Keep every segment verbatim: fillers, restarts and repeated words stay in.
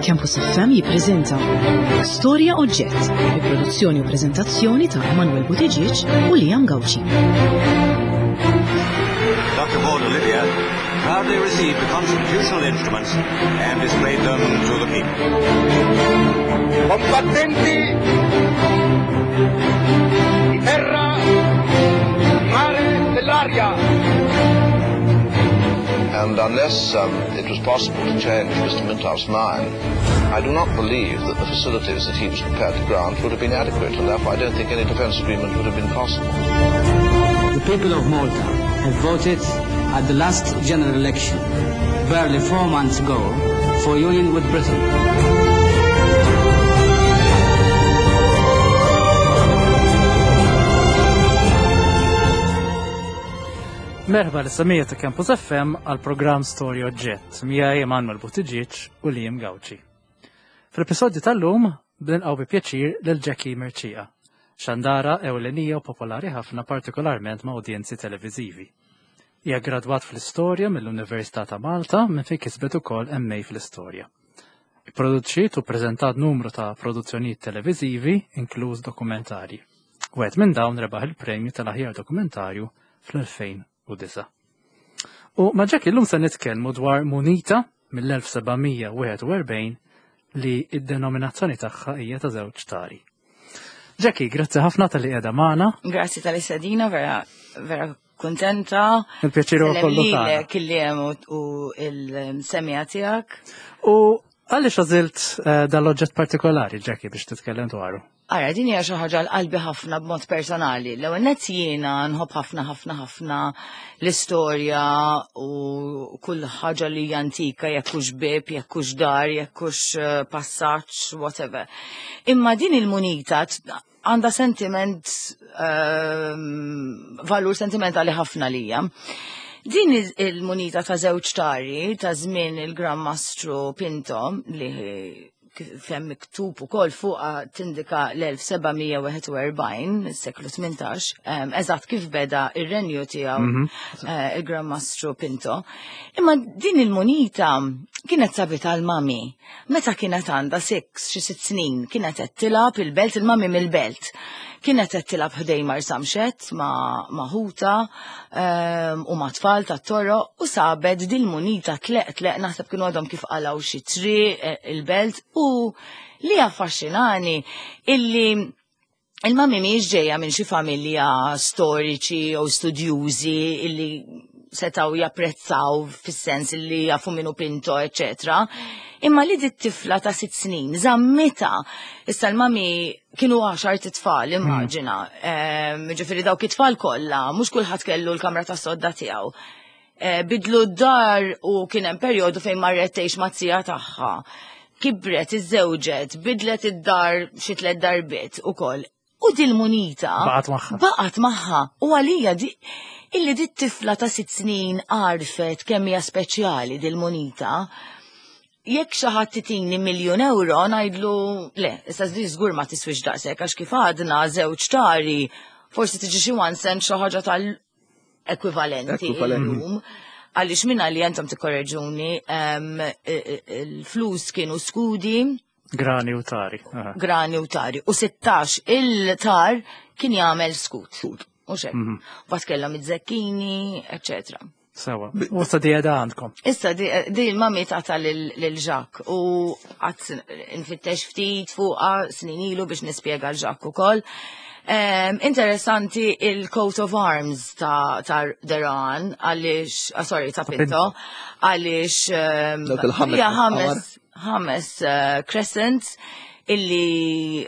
Campus F M jippreżenta Storja Oġġett, bi produzzjoni u preżentazzjoni ta' Emanuel Buttigieg u Liam Gauci. Doctor Paul Olivia proudly received the constitutional instruments and displayed them to the people. Combattenti di terra, mare, dell'aria. And unless, um, it was possible to change Mister Mintoff's mind, I do not believe that the facilities that he was prepared to grant would have been adequate, and therefore I don't think any defence agreement would have been possible. The people of Malta have voted at the last general election, barely four months ago, for union with Britain. Merħba l-samija ta' Campus F M għal programm Storja Oġġett, miegħi Emanuel Buttigieg u Liam Gauci. Fl-episodju tal-lum bnilqgħu bi pjaċir lil Jackie Mercieca, xandara ewlenija u popolari ħafna partikolarment ma' udjenzi televiżivi. Hija gradwat fl-istorja mill-Università ta' Malta minn fejn kisbet ukoll M A fl-istorja. Ipproduċiet u ppreżentat numru ta' produzzjonijiet televiżivi, inkluż dokumentarji. Wieħed minn dawn rebaħ il-premju tal-aħjar dokumentarju fl-elfejn u disa. U ma' Jackie llum se nitkellmu dwar munita mill-elf sebgħamija wieħed u erbgħin li id-denominazzjoni tagħha hija ta' żewġ tari. Jackie, grazzi ħafna tal-li qiegħda magħna. Grazzi tal-li sedina, vera, vera kuntenta. Il-pjaċir huwa kollu Sellem tagħna. lilek illi hemm u, u il-semija tiegħek. U għaliex għażilt, eh, dal-oġġett partikolari, Jackie, biex titkellem dwaru? Ara, din hija xi ħaġa l-qalbi ħafna b'mod personali. L-ewwel nett jiena nħobb ħafna ħafna ħafna l-istorja u kull ħaġa li hija antika, jekk hux bieb, jekk hux dar, jekk hux, eh, passaġġ, whatever. Imma din il-munita t-, għandha sentiment, ehm, valur sentimentali ħafna lija. Din il-, il-munita ta' żewġ tari ta' żmien il-Gran Mastru Pinto li kif hemm miktub ukoll fuqha tindika l-elf sebgħamija wieħed u erbgħin, is-seklu tmintax, ehm, eżatt kif beda ir-renju tiegħu, Mhm. eh, il-Gran Mastru Pinto. Imma din il-munita kienet sabita l-mami. Meta kienet għandha six, xi sitt snin, kienet qed tilgħab il-belt, il-mami mill-belt. Kienet qed tilgħab ħdej Marsamxett ma', ma' ħuta, ehm, u ma' tfal tat-toroq u sabet din munita tleq tleq naħseb kienu għadhom kif qalgħu xi triq, eh, il-belt u li affaxxinani illi il-mami mhijiex ġejja minn xi familja storiċi jew studjużi illi setgħu japprezzaw fis-sens illi jafu minnu Pinto, eċċetera. Imma li dit tifla ta' sitt snin żammita. Issa l-mami kienu għaxar titfal, Hmm. immaġina. Ehm, ġifieri dawk it-tfal kollha, mhux kulħadd kellu l-kamra tas-sodda tiegħu. Eh, bidlu d-dar u kien hemm perjodu fejn marret tgħix mat-tija tagħha. Kibret, iżżewġet, bidlet id-dar xi tliet darbiet ukoll. U dil-munita Baqgħet magħha. Baqgħet magħha. U għalija di illi dit tifla ta' sitt snin għarfet kemm hija speċjali dil-munita. Jekk xi ħadd titini miljun euro ngħidlu le, issa di żgur ma tiswix daqshekk għax kif għadna żewġ tari, forsi tiġi xi one cent xi ħaġa tal-ekwivalenti Ekwivalenti. illum. Għaliex minna li jentom tikkorreġuni, ehm, e-, e-, il-flus kienu skudi. Grani u tari. Aha. Grani u tari. U sittax il-tar kien jagħmel skut. Skut. U xek. Mhm. Bat kellhom iż-żekkini, eċċetera. Sewa. U issa di għedha għandkom. Issa di, di l-mami tata lil, lil Jacques u għad nfittex ftit fuqha snin ilu biex nispjega l Jacques ukoll. Ehm, interessanti il-coat of arms ta', ta' Deran, għaliex, ah, sorry, ta' Ta' Pinto, Pinto. għaliex, ehm, Dawk il-ħames hija qamar. ħames, ħames, eh, crescents illi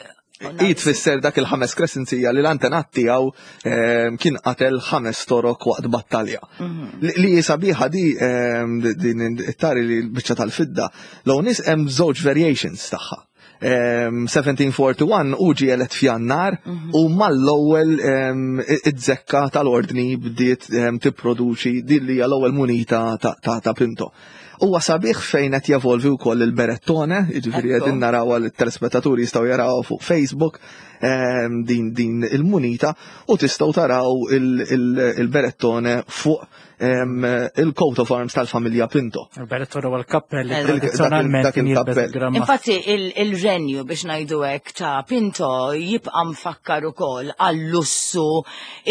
I tfisser dak il-ħames crescents hija li l-antenat tiegħu, ehm, kien qatel ħames torok waqt battalja. Mhm. Li, li sabiħa di, ehm, din it-tari li l-biċċa tal-fidda, l nies hemm żewġ variations tagħha. Ehm, seventeen forty-one u ġie elett f'Jannar Mhm. u mal-ewwel, ehm, id-zekka tal-ordni bdiet, ehm, tipproduċi din li hija l-ewwel munita ta', ta', ta' Pinto. Huwa sabiħ fejn qed jevolvi wkoll il-berettone, jiġifieri Ekku. qegħdin naraw għal telespettaturi jistgħu jaraw fuq Facebook, ehm, din, din il-munita u tistgħu taraw il-, il-, il-berettone fuq em, il-coat of arms tal-familja Pinto. Il-Berettone huwa l-kappell li Dak- tradizzjonalment dak kien jilbes il-kappell. Gran Mastru. Infatti il- il-renju biex ngħidu hekk ta' Pinto jibqa' mfakkar ukoll għall-lussu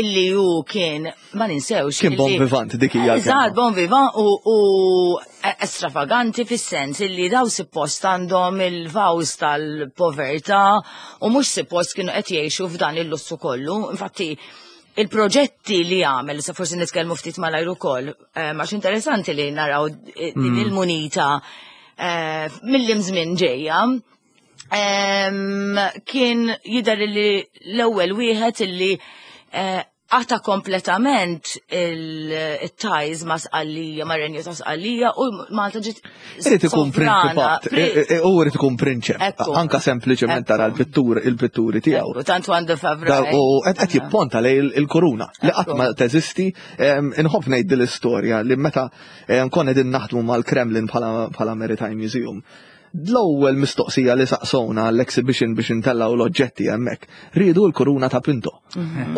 illi hu kien ma ninsewx. Kien illi- bon vivant, dik hija l-kelma. Eżatt, bon vivant u, u estravaganti fis-sens illi daw suppost għandhom il-vows tal-povertà u mhux suppost kienu qed jgħixu f'dan il-lussu kollu. Infatti il-proġetti li għamel, sa forsi nitkellmu ftit malajr ukoll, eh, għax interessanti li naraw eh, din il-munita eh, mill-imżmin ġejja. Em, Kien jidher li l-ewwel wieħed illi eh, qata kompletament il-ties ma' Sqallija, ma' Renju ta' Sqallija u Malta ġiet Irid ikun sovrana. prinċipat, Pri- e- e- u irid ikun prinċep. Ekku. Anka sempliċement tara l-pittur, il-pitturi tiegħu. Ekku, Tant għandu favra. Da- U qed qed jipponta lej il- il-kuruna li qatt Ekku. ma teżisti. em, Inħobb ngħid din l-istorja li meta em, konna qegħdin naħdmu mal-Kremlin bħala bħala Maritime Museum. L-ewwel mistoqsija li saqsowna l-exhibition biex intellgħu l-oġġetti hemmhekk, riedu l-kuruna ta' Pinto.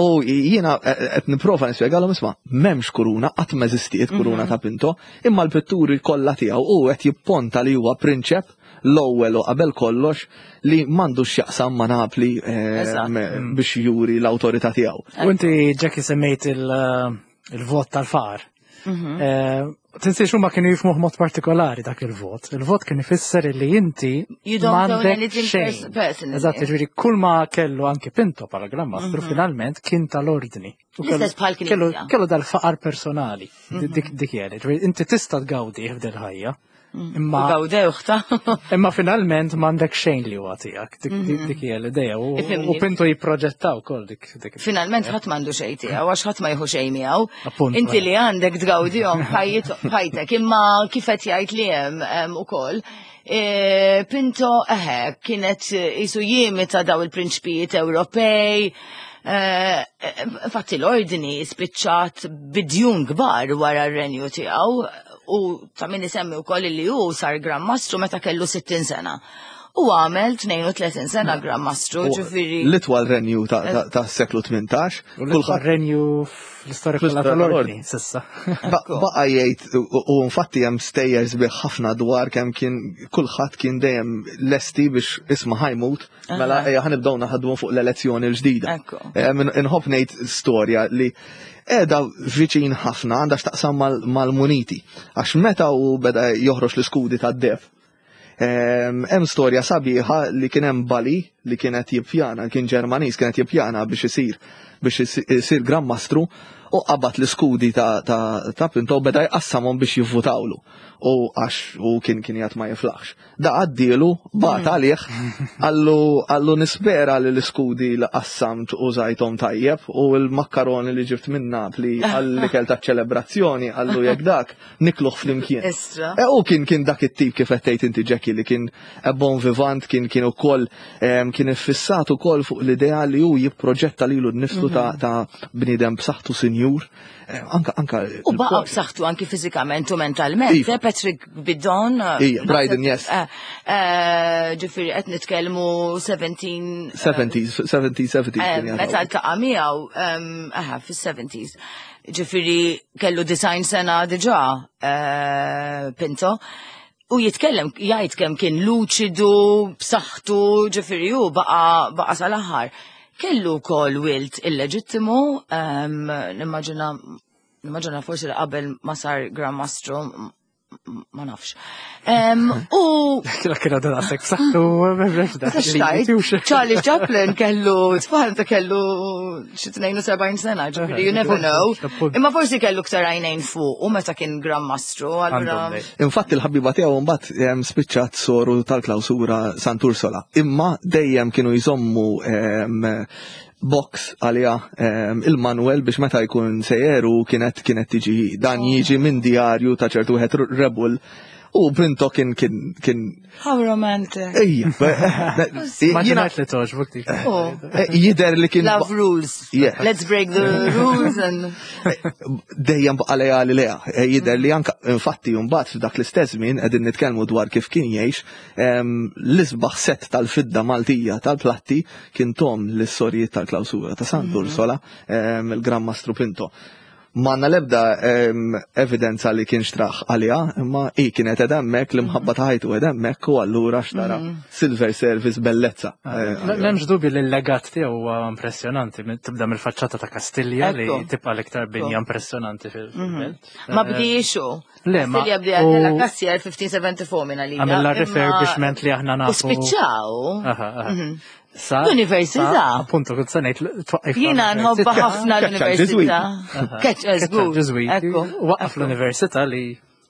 U jiena eh, qed nipprova nispjegalhom isma' m'hemmx kuruna, qatt ma eżistiet kuruna ta' Pinto, imma l-pitturi kollha tiegħu u qed jipponta li huwa prinċep l-ewwel u qabel kollox li m'għandux x'jaqsam ma' Napli eh, Eżatt. m- biex juri l-awtorità tiegħu. U inti Jackie semmejt il- il-vot tal-faqar. Mhm. Eh, Tinsiex huma kienu jifhmuh mod partikolari dak il-vot. Il-vot kien ifisser li inti You don't own m'għandek anything xejn. pers- personally. Eżatt, ġifieri kull ma kellu anki Pinto bħala Gran Mastru finalment kien tal-ordni. U kellu- Mhm. L-istess bħal knisja. Kellu kellu dal-faqar personali. Dik dik jeli. Ġifieri inti tista' tgawdi f'dil ħajja. Imma U gawdewh ta' Imma finalment m'għandek xejn li huwa tiegħek. Dik dik- dik hija l-idea. U Ifhimni. u Pinto jipproġettaw ukoll dik dik. Finalment ħadd m'għandu xejn tiegħu għax ħadd ma jieħu xejn miegħu. Appunto, Inti eh. li għandek tgawdihom ħajtek, imma kif qed jgħid li hemm em, ukoll. e, Pinto eħe kienet jisu jimita daw il-prinċpijiet Ewropej. eh, Infatti l-ordni spiċċat bidjun kbar wara r-renju tiegħu u ta' min isemmi wkoll li hu sar Gran Mastru meta kellu sittin sena. U għamel tnejn u tletin sena Gran Mastru, U ġifieri. L-itwal renju ta' ta- ta' seklu tmintax, U l-itwal renju fl-istorja kollha Fl-istorja tal-ordni, tal-ordni. s'issa. Ba- Baqa jgħid u u infatti hemm stejjer sbieħ ħafna dwar kemm kien kulħadd kien dejjem lesti biex isma' ħa jmut, mela ejja ħa nibdew naħdmu fuq l-elezzjoni l-ġdida. Ekku. Em, Inħobb ngħid storja li qiegħda viċin ħafna għandha x'taqsam mal- mal-muniti. Għax meta u beda joħroġ l-iskudi tad-deheb. Em, Hemm storja sabiħa li kien hemm Bali li kienet jippjana, kien Ġermaniż kienet jippjana biex isir biex isir Gran Mastru u qabad l-iskudi ta', ta, ta' Pinto u beda jqassamhom biex jivvutawlu. U għax u kien kien jgħat ma jiflaħx. Da għaddielu, bat għalih, għallu għallu nispera li l-iskudi li qassamt u użajthom tajjeb u l-makkaroni li ġibt minn Napli għall-ikel ta' ċelebrazzjoni għallu jekk dak nikluh flimkien. Istra. E, u kien kien dak it-tip kif qed tgħid inti Jackie li kien bon vivant, kien kien ukoll em, kien iffissat ukoll fuq l-idea li hu jipproġetta lilu nnifsu ta' ta' bniedem b'saħħtu sinjur. Eh, Anka anka U baqa b'saħħtu anki fiżikament u mentalment. Iva. Eh, Patrick Bidon. Ija, Bryden, yes. Eh, eh, Ġifieri qed nitkellmu seventeen seventies, seventies, seventies. Eh, kien Meta jgħataw. ltaqa' miegħu, em, aha, fis-seventies. Ġifieri kellu disgħin sena diġà eh, Pinto. U jitkellem, jgħid kemm kien luċidu, b'saħħtu, ġifieri hu baqa' baqa' sal-aħħar. Kellu wkoll wild illeġittimu, em, nimmaġina nimmaġina forsi li qabel ma sar Gran Mastru, m- ma nafx. Em, U Kien kien għadu daqshekk b'saħħtu, Xtajt, Charlie Chaplin kellu, tfal ta' kellu xi tnejn u sebgħin sena, ġifieri you never know. Imma forsi kellu ktar għajnejn fuq u meta kien Gran Mastru, allura. Infatti l-ħabiba tiegħu mbagħad em, spiċċat soru tal-klawsura Sant'Ursola. Imma dejjem kienu jżommu em, box għalija em, il-Manuel biex meta jkun sejjer u kienet kienet tiġi dan jiġi minn djarju ta' ċertu wieħed rebul u Pinto kien kien kien How romantic. Ejja, Ma jiena ġenajt li toġbuk dik. Oh. Jider li kien Love rules. Yeah. Let's break the rules and dejjem baqa lejali leha. E, Jider li anka infatti mbagħad f'dak l-istess żmien qegħdin nitkellmu dwar kif kien jgħix em, l-isbaħ set tal-fidda Maltija tal-platti kien tom l-sorijiet tal-klawsura ta' Sant'Ursola em, il-Gran Mastru Pinto. M'għandna l-ebda em, evidenza li kien xtrah għaliha, imma i kienet qed hemmhekk, l-imħabba ta' ħajtu qed hemmhekk u allura xtara silver service bellezza. Eh, M'hemmx dubju li l-legat tiegħu huwa impressjonanti, minn- tibda mill-faċċata ta' Kastilja li Ekku. tibqa' l-iktar binja impressjonanti fil-belt. Ma bdiex hu. Le, ma- Kastilja bdiha u- della Kastilja elf mittejn u erbgħa u ħamsin minn għalija. Għamilla imma- refurbishment li aħna U nafu. spiċċaw. Aha, aha. Sa- L-università. sa- Appunto, kont se ngħid twaqqif Jiena nħobba ħafna Keċċa l-università. Keċċa żgur. Ġiżwiti. Ekku. Waqqaf l-università li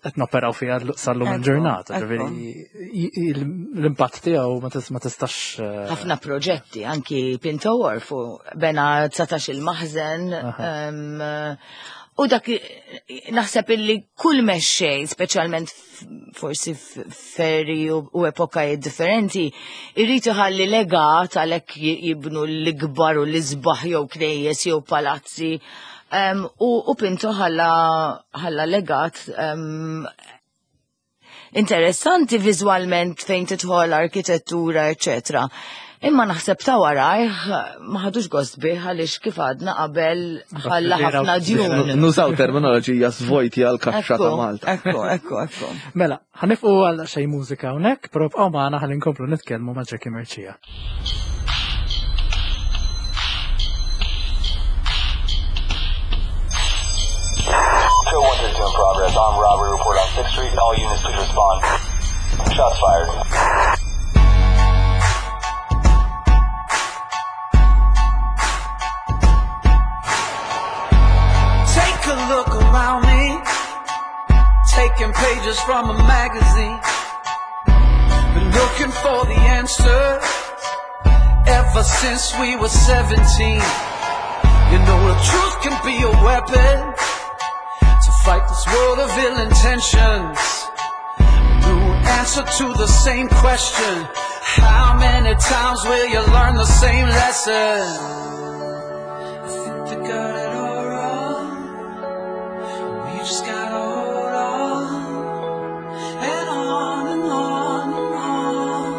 qed noperaw fiha sal-lum Ekku, il-ġurnata. ekku. Ġifieri, i- i- l-impatt tiegħu ma tis- ma tistax. eh, Ħafna proġetti, anki Pinto Wharf u bena dsatax il-maħżen. em, U dak naħseb illi kull mexxej, speċjalment f- forsi f'eri u u epokajiet differenti, irrid iħalli legat għalhekk j- jibnu l-ikbar u l-isbaħ jew knejjes jew palazzi. Em, U u Pinto ħalla ħalla legat em, interessanti viżwalment fejn tidħol arkitettura, eccetera. Imma naħseb ta' warajh ma ħadux gost bih għaliex kif għadna qabel ħalla ħafna djun. Nużaw terminoloġija svojti għal kaxxa ta' Malta. Ekku, ekku, ekku. Mela, ħa nieqfu għal xi mużika hawnhekk, però bqgħu magħna ħalli nkomplu nitkellmu ma' Jackie Mercieca. Two one two in progress. Armed robbery report on sixth Street. All units please respond. Shots fired. Take a look around me, taking pages from a magazine. Been looking for the answers ever since we were seventeen. You know the truth can be a weapon to fight this world of ill intentions. New answer to the same question. How many times will you learn the same lesson? I think they got it all wrong. We just gotta hold on and on and on and on.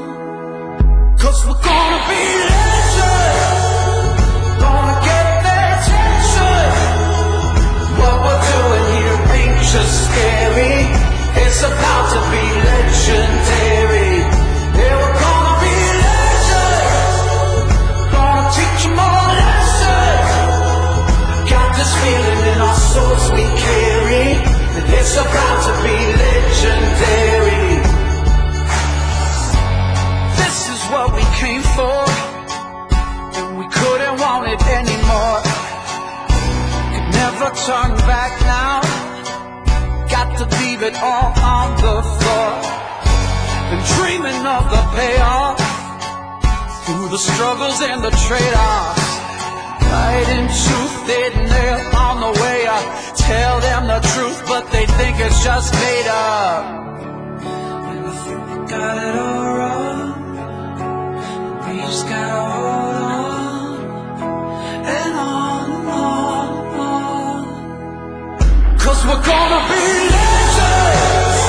'Cause we're gonna be legends, gonna get their attention. What we're doing here ain't just scary, it's about to be legendary. Yeah, we're gonna be legends, gonna teach 'em all a lesson. Got this feeling in our souls we carry that it's about to be legendary. This is what we came for, and we couldn't want it anymore. Could never turn back now. Got to leave it all on the floor. Been dreaming of the payoff through the struggles and the trade-offs. Fighting tooth and nail on the way. I tell them the truth, but they think it's just made up. And I think they got it all wrong. We just gotta hold on and on and on and on. 'Cause we're gonna be legends,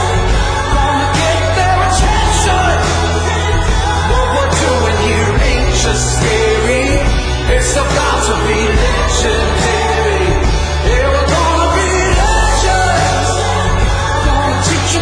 gonna get their attention. What we're doing here ain't just scary, it's about to be legendary. Yeah, we're gonna be legends, gonna teach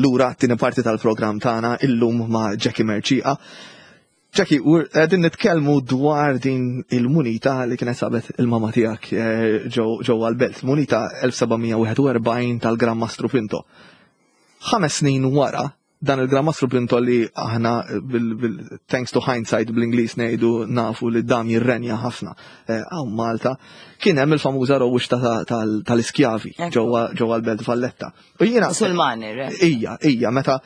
Lura t-tieni parti tal-programm tagħna illum ma' Jackie Mercieca. Jackie, qegħdin nitkellmu dwar din il-munita li kienet sabet il-mama tiegħek eh, ġewwa l-belt. Munita elf seba' mija wieħed u erbgħin tal-Gran Mastru Pinto. Ħames snin wara, dan il-Gran Mastru Pinto li aħna bil, bil, thanks to hindsight bl-Ingliż ngħidu nafu li dam jirrenja ħafna eh, hawn Malta, kien hemm il-famuża rewwixta tal-iskjavi ġewwa ġewwa l-Belt Valletta. U jiena Musulmani, re? Ija, ija, meta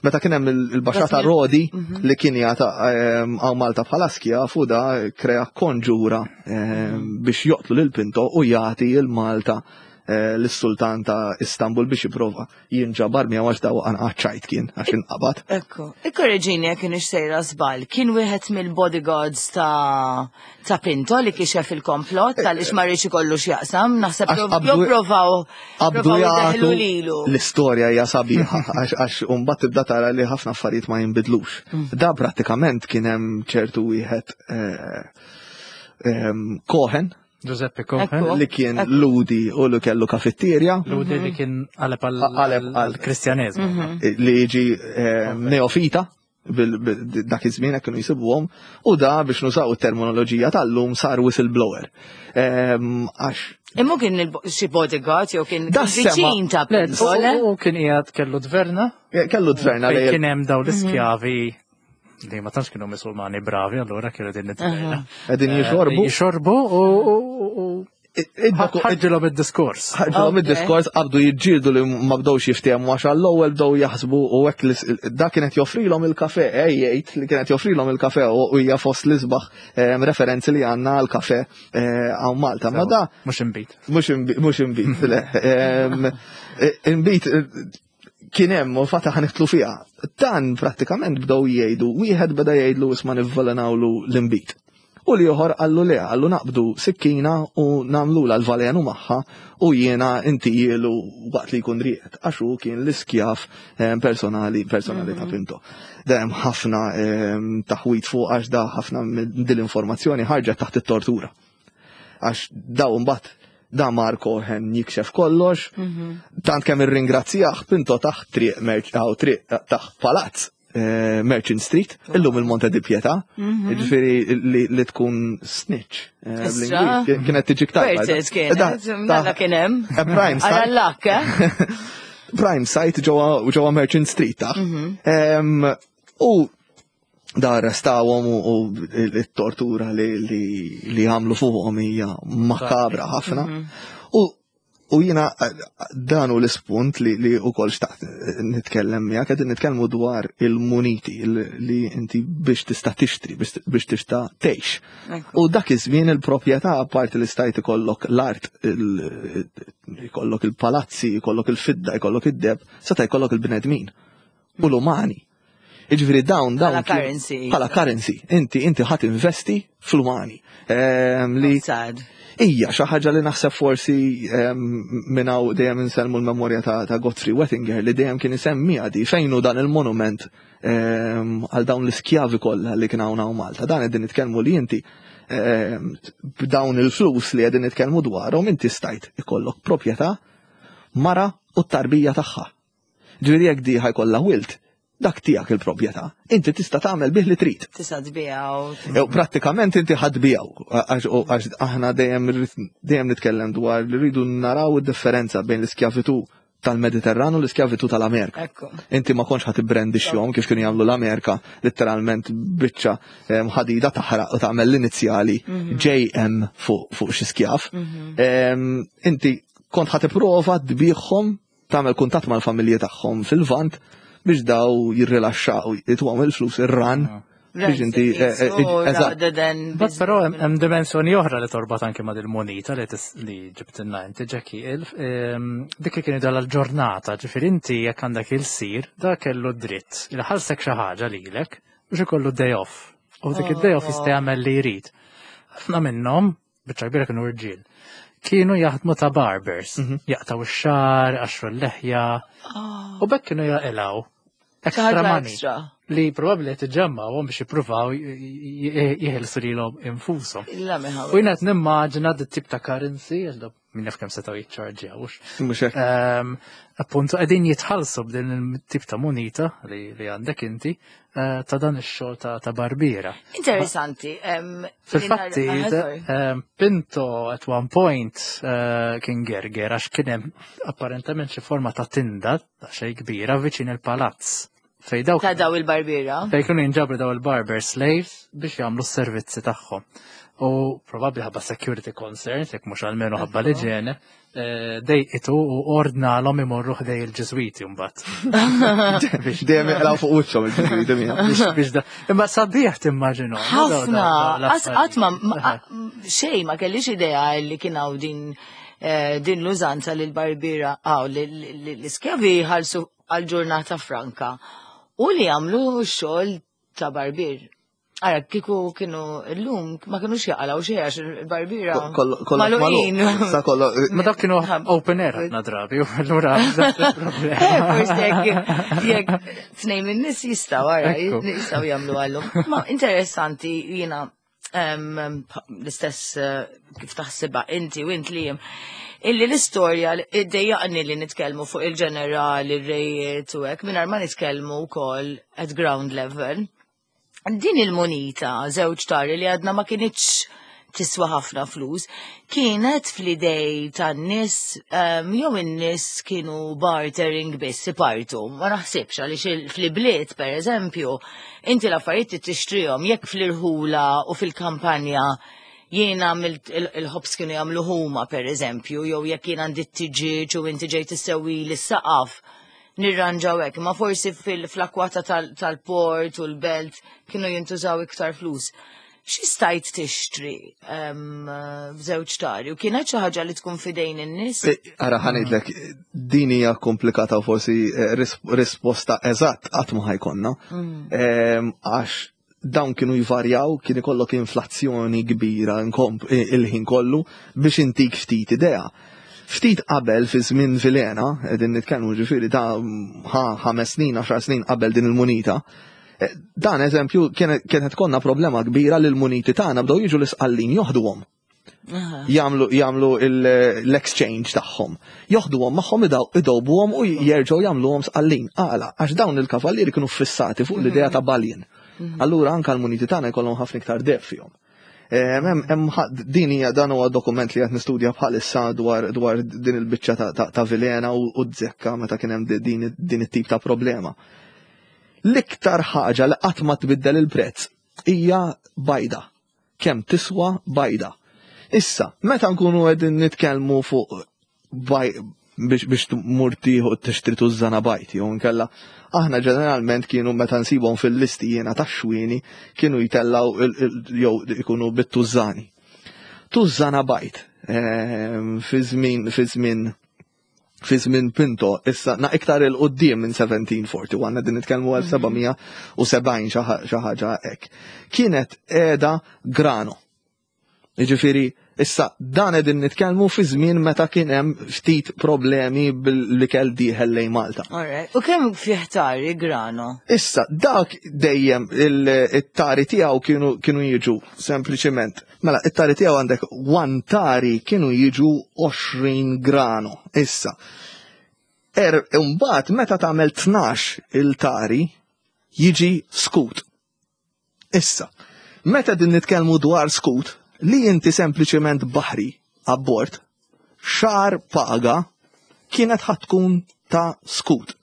meta kien hemm il-Baxxa ta' Rodi mhm. li kien jagħta ehm, hawn Malta bħala skjav u da krea konġura ehm, biex joqtlu lil Pinto u jagħti il-Malta eh, l-sultan ta' Istanbul biex jipprova jinġabar miegħu għax daw ċajt kien għax inqabad. Ekku, ikkorreġini jekk kienx sejra żball, kien wieħed mill-bodyguards ta' ta' Pinto li kixef il-komplott tal-ix ma rridx ikollu x'jaqsam, naħseb jew provaw qabdu jagħtu lilu. L-istorja hija sabiħa għax għax mbagħad tibda tara li ħafna affarijiet ma jinbidlux. Mm. Da prattikament kien hemm ċertu wieħed eh, ehm, Cohen Giuseppe Cohen. Li kien Lhudi u li kellu kafetterja. Lhudi li kien qaleb għal-Kristjaneżmu. Mhm. Li jiġi eh, neofita dak iż-żmien hekk kienu jsibuhom u da biex nużaw it-terminoloġija tal-lum sar whistleblower. Ehm, għax Imma kien xi bodyguard jew kien viċin ta' Pinto? U kien qiegħed kellu dverna. Eh, kellu dverna li kien hemm dawn l-iskjavi li ma tantx kienu Musulmani bravi, allura kienu din id-dverna. Qegħdin jixorbu. Jixorbu u ħarġilhom id-diskors. Ħarġilhom id-diskors, qabdu jiġġieldu li ma bdewx jiftehmu għax għall-ewwel bdew jaħsbu u hekk da kienet joffrilhom il-kafe, eh jgħid li kienet joffrilhom il-kafe u hija fost l-isbaħ referenzi li għandna għal-kafe eh, hawn Malta. Ma da mhux inbid. Mhux inbid, le. Inbid kien hemm u fatta ħa nidħlu fiha. Dan prattikament bdew jgħidu, wieħed beda jgħidlu isma' nivvelenawlu l-inbid. U l-ieħor qallu le, qallu naqbdu sikkina u nagħmlu l-valenu magħha u jiena intihielu waqt li jkun rieqed, għax hu kien l-iskjaf eh, personali personali ta' mhm. Pinto. Hemm ħafna eh, taħwit fuq għax da ħafna dil-informazzjoni ħarġet taħt it-tortura. Għax daw mbagħad da mar Cohen jikxef kollox, mhm. tant kemm irringrazzjah Pinto taħt triq triq taħt palazz eh, Merchant Street, illum il-Monte di Pietà, mhm. ġifieri li tkun snitch. Eh, kienet tiġi ktar. Kienet, mela kien hemm. Eh, prime site. Eh? Prime site ġewwa Merchant Street taħ. Mhm. U da arrestawhom u t-tortura li għamlu fuqhom hija makabra ħafna. Mhm. U U jina dan hu l-ispunt li, li u kol xtaqt nitkellem miegħek, qegħdin nitkellmu dwar il-muniti li inti biex tista' tixtri, biex tista' tgħix. U dak iż-żmien il-proprjetà, apparti li stajt ikollok l-art, ikollok il-palazzi, ikollok il-fidda, ikollok id-deheb, seta' jkollok il-bnedmin u l-umani. Iġifieri dawn dawn. Bħala currency. Bħala currency. Inti inti ħadd investi fl-umani. Ehm, li Ija, xi ħaġa li naħseb forsi ehm, minn hawn dejjem insellmu l-memorja ta' Godfrey Wettinger li dejjem kien isemmi għadi fejn hu dan il-monument ehm, għal dawn l-iskjavi kollha li kien hawn Malta. Dan qegħdin nitkellmu li inti b'dawn il-flus li qegħdin nitkellmu dwarhom inti stajt ikollok proprjetà, mara u t-tarbija tagħha. Ġifieri jekk di ħa jkollha wild, dak tiegħek il-proprjetà. Inti tista' tagħmel bih li trid. Tista' tbiegħu. Jew prattikament inti ħa tbiegħu għax aħna dejjem dejjem nitkellem dwar li rridu naraw id-differenza bejn l-iskjavitu tal-Mediterran u l-iskjavitu tal-Amerika. Inti ma kontx ħa tibbrandixxihom kif kienu jagħmlu l-Amerika, letteralment biċċa ħadida taħraq u tagħmel l-inizjali mhm. J M fuq xi skjaf. Mhm. Inti kont ħa tipprova tbiegħhom, tagħmel kuntatt mal-familji tagħhom fil-Lvant biex daw jirrilaxxaw, jituhom il-flus ir-ran ah. biex inti eh, eh, eh, eżatt. Però hemm dimensjoni oħra li torbat anke ma' dil-monita li li ġibtilna inti, Jackie, dik li kien dal ġurnata, ġifieri inti jekk għandek ilsir, da kellu dritt il ħallsek xi ħaġa lilek biex ikollu day off. U dik id-day off jista' jagħmel li jrid. Ħafna minnhom, biċċa kbira kienu rġiel, kienu jaħdmu ta' barbers, mhm. jaqtaw ix-xagħar, iqaxxru l-leħja, oh. u b'hekk kienu jaqilgħu extra money. Li probabbli qed iġemmgħuhom biex jippruvaw jeħilsu lilhom infushom. Illa meħaw. U jiena qed nimmaġina dit-tip ta' currency, għax da min jaf kemm setgħu jiċċarġjawx. Mhux hekk. Ehm, Appuntu qegħdin jitħallsu b'din il-tip ta' munita li li għandek inti eh, ta' dan ix-xogħol ta' ta' barbiera. Interessanti. em, Fil-fatti, li nar- ah, sorry. ehm, Pinto at one point eh, kien gerger għax kien hemm apparentament xi forma ta' tinda ta' xejn kbira viċin il-palazz. Fej dawk Ta' daw il-barbiera. fej kienu jinġabru daw il-barber slaves biex jagħmlu s-servizzi tagħhom. U probabbli ħabba security concerns, jekk mhux almenu ħabba l-iġene, eh, dejqitu u ordnalhom imorru ħdej il-Ġiżwiti mbagħad. Biex Dejjem jaqlaw fuq wiċċhom il-ġiżwiti mija. biex biex da. Imma sabiħ timmaġinu. Ħafna, qatt ma ma- xej ma kellix idea li kien hawn din eh, din l-użanza li l-barbiera għaw li l-iskjavi ħalsu għal-ġurnata franka u li għamlu xogħol ta' barbier. Ara, kiku kienu l-lum ma kienux jaqalaw xejn għax il-barbiera Kollox magħluqin. magħluq. Sa kollo Ma dak kienu open air ħafna drabi, u allura Eh, forsi jekk jekk tnejn minn nies jistgħu ara, Ekku. jistgħu jagħmlu għallum. Ma interessanti jiena em, l-istess eh, kif taħsibha inti u int li jem. Illi l-istorja iddejjaqni li nitkellmu fuq il-ġenerali, il-rejiet u hekk, mingħajr ma nitkellmu wkoll at ground level. Din il-munita, żewġ tari li għadna ma kinitx tiswa ħafna flus, kienet fl-idej tan-nies, um, jew in-nies kienu bartering biss ipartu. Ma naħsibx għaliex il- fl-ibliet, per eżempju, inti l-affarijiet tixtrihom jekk fl-irħula u fil-kampanja jiena għamilt il- il-ħobs kienu jagħmlu huma per eżempju, jew jekk jien għandi t-tiġiġ u inti ġejt issewwi lis-saqaf nirranġaw hekk, ma forsi fil-akwata tal-port u l-belt kienu jintużaw iktar flus. Xi stajt tixtri em, b'żewġ tari u kienet xi ħaġa li tkun fidejn in-nies? Ara ħa ngħidlek, din hija komplikata u forsi eh, ris- risposta eżatt qatt ma ħa jkollna. Em, Għax dawn kienu jvarjaw, kien ikollok inflazzjoni kbira nkomp- il-ħin kollu biex intik ftit idea. Ftit qabel fi żmien Vilhena, qegħdin nitkellmu ġifieri ta' ħa ħames snin, għaxar snin qabel din il-munita. eh, Dan eżempju kienet kienet konna problema kbira li l-muniti tagħna bdew jiġu l-isqallin joħduhom jagħmlu jagħmlu l-exchange tagħhom. Joħduhom magħhom idawbuhom u jerġgħu jagħmluhom sqallin. Għala, għax dawn il-kavallieri kienu fissati fuq l-idea ta' bullion. Allura anka l-muniti tagħna jkollhom ħafna iktar deheb fihom. Hemm hemm din hija dan huwa dokument li qed nistudja bħalissa dwar dwar din il-biċċa ta', ta, ta' Vilhena u, u z-zekka meta kien hemm din, din it-tip ta' problema. L-iktar ħaġa li qatt ma tbiddel il-prezz hija bajda. Kemm tiswa bajda. Issa, meta nkunu qegħdin nitkellmu fuq baj biex biex tmur tieħu tixtri tużżana bajd jew nkella aħna ġeneralment kienu meta nsibhom fil-listi jiena tax-xwieni kienu jitellaw jew ikunu bit-tużżani. Tużżana bajd ehm, fi żmien fi żmien fi żmien Pinto, issa na iktar 'il quddiem minn seventeen forty-one, din nitkellmu għal sebgħamija u sebgħin xi ħaġa hekk. Kienet qiegħda grano. Jiġifieri, issa dan qegħdin nitkellmu fi żmien meta kien hemm ftit problemi bil-ikel dieħel lejn Malta. Alright. U kemm fih tari grano? Issa, dak dejjem il-tari tiegħu kienu kienu jiġu sempliċement. Mela, it-tari tiegħu għandek one tari kienu jiġu għoxrin grano. Issa, er imbagħad meta tagħmel tnax il-tari jiġi skut. Issa, meta din nitkellmu dwar skut, li inti sempliċement baħri abbord, xahar paga kienet ħa tkun ta' skut.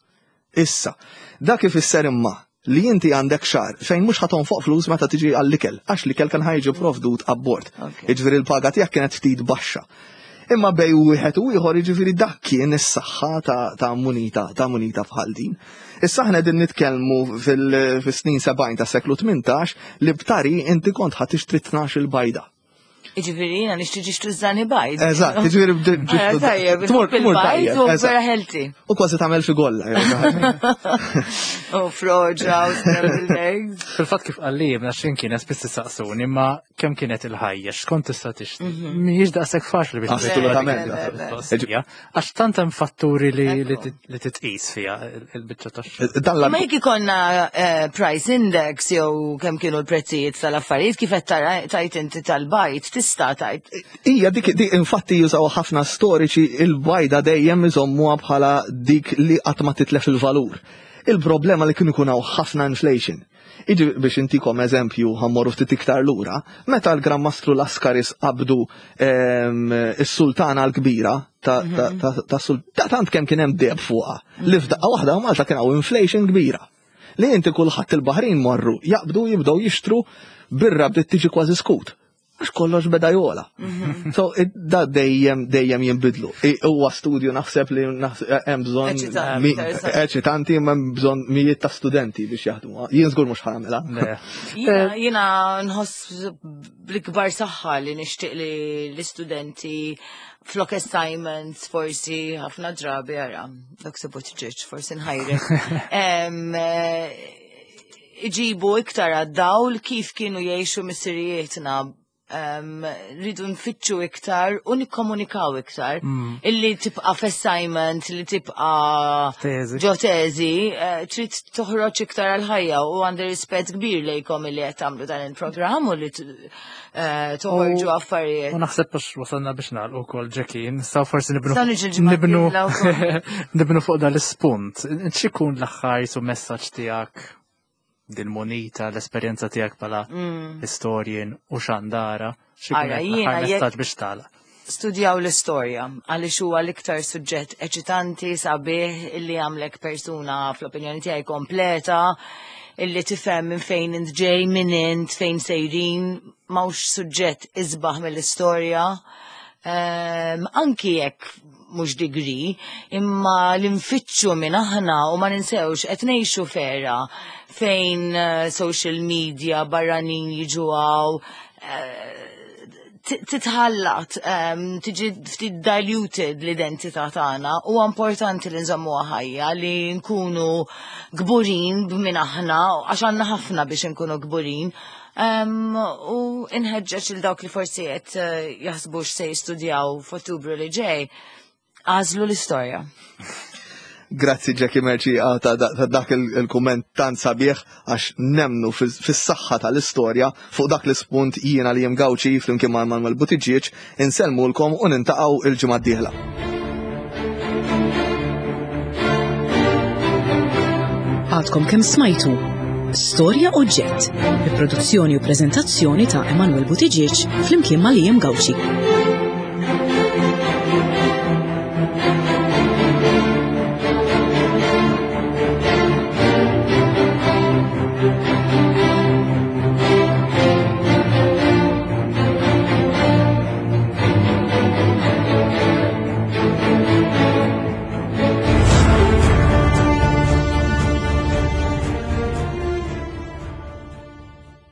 Issa, dak ifisser imma li inti għandek xahar fejn mhux ħa tonfoq flus meta tiġi għall-ikel, għax l-ikel kan ħa jiġi provdut abbord. Jiġifieri l-paga tiegħek kienet ftit baxxa. Imma bej wieħed u ieħor jiġifieri dak kien is-saħħa ta', ta' munita, ta' munita bħal din. Issa aħna din nitkellmu fil-snin sebgħin ta' seklu tmintax li b'tari inti kont ħa tixtri tnax il-bajda. Iġifieri jiena nixtri ġiex tużżani bajd. Eżatt, jiġifieri Ara, tajjeb, tmur tmur il-bajd tajjeb. u eżatt. vera healthy. U kważi tagħmel figolla. jew xi ħaġa. U froġa u scrambled eggs. Fil-fatt kif qalli jibna xin kienet spiss tistaqsuni, imma kemm kienet il-ħajja, x'kont tista' tixtri. Mhijiex daqshekk faċli biex Assolutament. Mistoqsija, għax tant hemm fatturi li li tit- li titqis fiha il-biċċa tax-xogħol. Dan Ma l jekk ikollna eh, price index jew kemm kienu l-prezzijiet tal-affarijiet kif qed tara tajt inti tal-bajd tista' tajt. Ija, dik, dik infatti jużaw ħafna storiċi il-bajda dejjem iżommuha bħala dik li qatt ma titlef il-valur. Il-problema li kienu jkun hawn ħafna inflation. Iġi biex intikom eżempju ħa mmorru ftit iktar lura, meta l-Gran Mastru Laskaris qabdu em, is-sultana l-kbira ta' ta' ta' ta' sul- ta' tant kemm kien hemm deheb fuqha. Li f'daqqa waħda Malta kien hawn inflation kbira. Li inti kulħadd il-Baħrin marru jaqbdu jibdew jixtru birra bdiet tiġi kważi skut. Għax kollox beda jogħla. So, id- da dejjem dejjem jinbidlu. I- Huwa studju naħseb li naħseb hemm bżonn Eċitanti, mi- interessanti. eċitanti imma hemm bżonn mijiet ta' studenti biex jaħdmu. Jien żgur mhux ħa nagħmilha. Le. Jiena jiena nħoss bl-ikbar saħħa li nixtieq li l-istudenti flok assignments forsi ħafna drabi ara, dak se ġiġ, forsi nħajrek. Em, eh, Iġibu iktar għad-dawl kif kienu jgħixu missirijietna um, rridu nfittxu iktar u nikkomunikaw iktar. Illi tibqa f'assignment, li tibqa Teżi. ġo teżi, eh, trid toħroġ iktar għal-ħajja u għandi rispett kbir lejkom illi qed tagħmlu dan il-programm u li t- eh, toħorġu affarijiet. U naħseb biex wasalna biex nagħlqu wkoll Jackie, nistgħu forsi nibnu Nistgħu niġu l-ġimgħa nibnu d-dieħla wkoll. nibnu fuq dal-ispunt. X'ikun l-aħħar su messaġġ tiegħek dil-munita, l-esperjenza tiegħek bħala historian u xandara, x'ikun Ara, l-aħħar jiena jekk- messaġġ biex tagħlaq. Studjaw l-istorja, għaliex huwa l-iktar suġġett eċitanti, sabiħ, illi għamlek persuna fl-opinjoni tiegħi kompleta, illi tifhem minn fejn int ġej, minn int, fejn sejrin, m'hawnx suġġett isbaħ mill-istorja. Um, anki jekk mhux degree, imma li nfittxu minn aħna u ma ninsewx qed ngħixu f'era fejn eh, social media barranin jiġu hawn, titħallat, um, tiġi ftit diluted l-identità tagħna u importanti li nżommuha ħajja li nkunu kburin b'min aħna għax għandna ħafna biex nkunu kburin. Um, u inħeġġeġ il dawk li forsi qed eh, jaħsbu x'se jistudjaw f'Ottubru li ġej, għażlu l-istorja. Grazzi Jackie Merci ah, ta' ta' dak il-kumment tant sabiħ għax nemmnu fis-saħħa tal-istorja fuq dak l-ispunt jiena li Gauci flimkien ma' Manuel Buttigieg insellmulkom u niltaqgħu il-ġimgħa d-dieħla. Għadkom kemm smajtu Storja Oġġett, bi produzzjoni u preżentazzjoni ta' Emanuel Buttigieg flimkien ma' Liam Gauci.